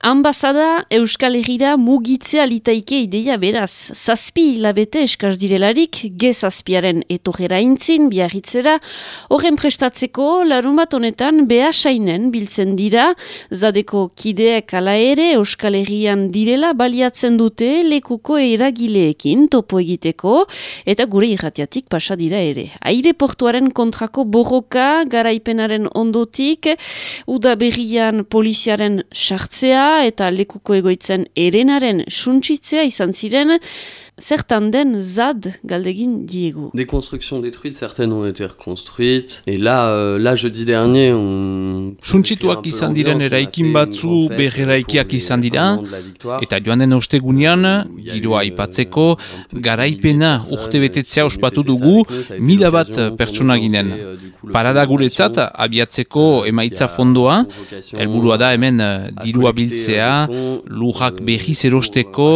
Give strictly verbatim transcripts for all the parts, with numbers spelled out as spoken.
Ambasada Euskal Herrira mugitzea litaike ideia beraz. Zazpi hilabete eskaz direlarik, ge zazpiaren etorrera intzin, biarritzera, horren prestatzeko larumat honetan behasainen biltzen dira, zadeko kideek ala ere Euskal Herrian direla baliatzen dute lekuko eragileekin topo egiteko, eta gure irratiatik pasa dira ere. Aireportuaren kontrako borroka, garaipenaren ondotik, udaberrian poliziaren sartzea, eta lekuko egoitzen erenaren suntsitzea izan ziren, zertan den zad galdegin diegu. Des constructions détruites, certaines ont été reconstruites, et là, euh, là jeudi dernier, on... Suntsituak izan diren eraikin batzu berreraikiak izan dira, eta joan den ostegunean, giroa aipatzeko, garaipena urte betetzea ospatu dugu, mila bat pertsona ginen. Parada guretzat, abiatzeko emaitza fondoa, helburua da hemen dirua biltzea, lujak berriz erosteko,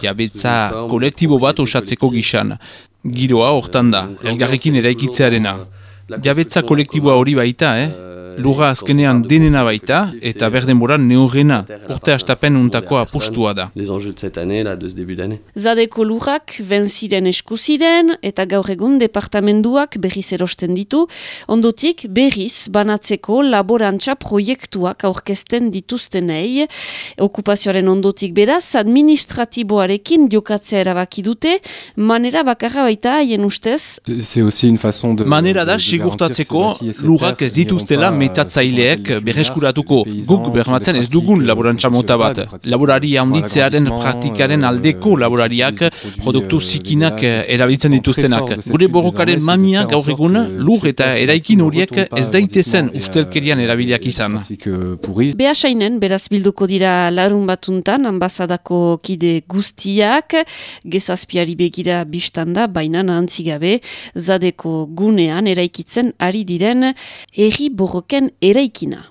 jabetza kolektibo bat osatzeko gisan. Giroa hortan da, elgarrekin eraikitzearena. Jabetza kolektiboa hori baita, eh? Lurra azkenean denena baita, eta berdenboran neurrena, urte astapen untako apustua da. Les enjeux de cette année, là, de ce début d'année. Zadeko lurrak benziren eskuziren, eta gaur egun departamenduak berriz erosten ditu, ondotik berriz banatzeko laborantza proiektuak aurkezten dituztenei. Okupazioaren ondotik beraz, administratiboarekin jokatzea erabaki dute, manera bakarra baita haien ustez. C'est aussi une façon de... Manera da sigurtatzeko lurrak ez dituztela metatzaileek berreskuratuko. Guk bermatzen ez dugun laborantza mota bat. Laborari handitzearen praktikaren aldeko laborariak produktu zikinak erabiltzen dituztenak. Gure borrokaren mamiak gaur egun lur eta eraikin horiek ez daitezen ustelkerian erabiliak izan. Behasainen beraz bilduko dira larun batuntan ambasadako kide guztiak, gezazpiari begira bistanda, baina nahantzigabe, zadeko gunean eraikitzen ari diren herri borroken eraikina.